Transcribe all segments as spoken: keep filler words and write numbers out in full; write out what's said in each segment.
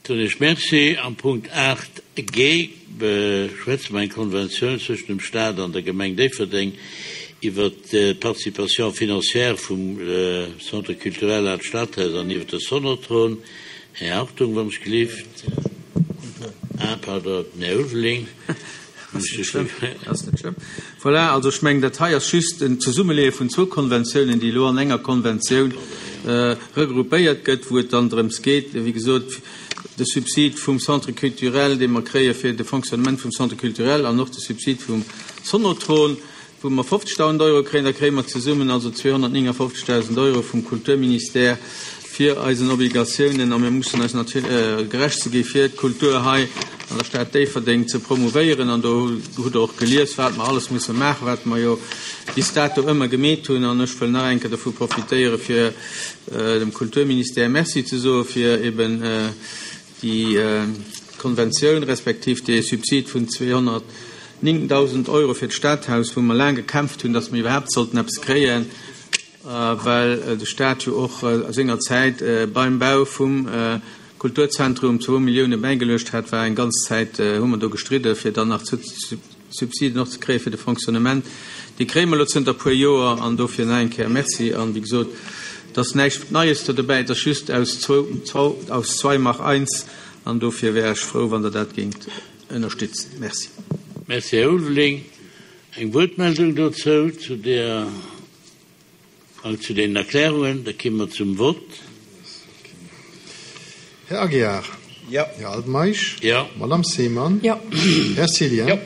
Soen ech Merci. Am Punkt aacht G beschwätze mer eng Konventioun zwëschen dem Stat an der Gemeng Déifferdeng iwwert d'Participation financière vum Centre culturel Al Stadhaus an iwwert de Sonotron. Här Hartung, wann ech gelift. Ah, pardon, den Här Ulveling. Ass net schlëmm, ass net schlëmm. Voilà, also ech mengen, dat hei ass just en Zesummeleeë vun zwou Konventiounen, déi elo an enger Konventioun regroupéiert gëtt, wou et dann drëms geet, wéi gesot, de Subsid vum Centre culturel, dee mer kréie fir de Fonctionnement vum Centre culturel, an och de Subsid vum Sonotron, wou mer fofzegdausend Euro kréien. Da kréie mer zesummen also zweehonnertnéngafofzegdausend Euro vum Kulturministère fir eisen Obligatiounen, a mir mussen eis natierlech gerecht ze gi fir d'Kultur hei an der Stad Déifferdeng ze promouvéieren. An do hutt Der och gelies, wat mer alles musse maachen, wat mer jo bis dato ëmmer gemeet hunn. An ech wëll nach eng Kéier dovu profitéieren, fir dem Kulturministère Merci ze soe fir eben déi Konventioun respektiv dee Subsid vun zweehonnertnéngdausend Euro fir d'Stadhaus, wou mer laang gekämpft hunn, dass mer iwwerhaapt sollten eppes kréien, well de Stat jo och a senger Zäit beim Bau vum Kulturzentrum zwou Millioune bäigeluecht hat, war eng ganz Zäit hu mer do gestridde fir dann nach Subsiden och ze kréie fir de Fonctionnement. Déi kréie mer elo zënter e puer Joer an dofir nach eng Kéier Merci. An wéi gesot, et ass näischt Neies do dobäi, et ass just aus zwou, aus zwei mach eins an dofir wär ech frou, wann Der dat géingt ënnerstützen. Merci. Merci, Här Ulveling. Eng Wuertmeldung dozou, zu der, zu deenen Erklärungen? Da komme mer zum Vott. Här Aguiar. Jo. Här Altmeisch. Jo. Madame Seemann. Jo. Här Cillien. Jo.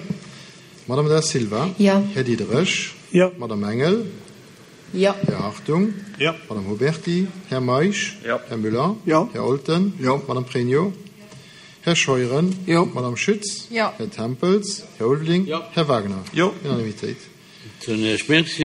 Madame Da Silva. Jo. Här Diderich. Jo. Madame Engel. Jo. Här Hartung. Jo. Madame Huberty. Här Meisch. Jo. Här Müller. Jo. Här Olten. Jo. Madame Pregno. Här Scheuren. Jo. Madame Schütz. Jo. Här Tempels. Här Ulveling. Jo. Här Wagner. Jo. Unanimitéit. Soen ech Merci.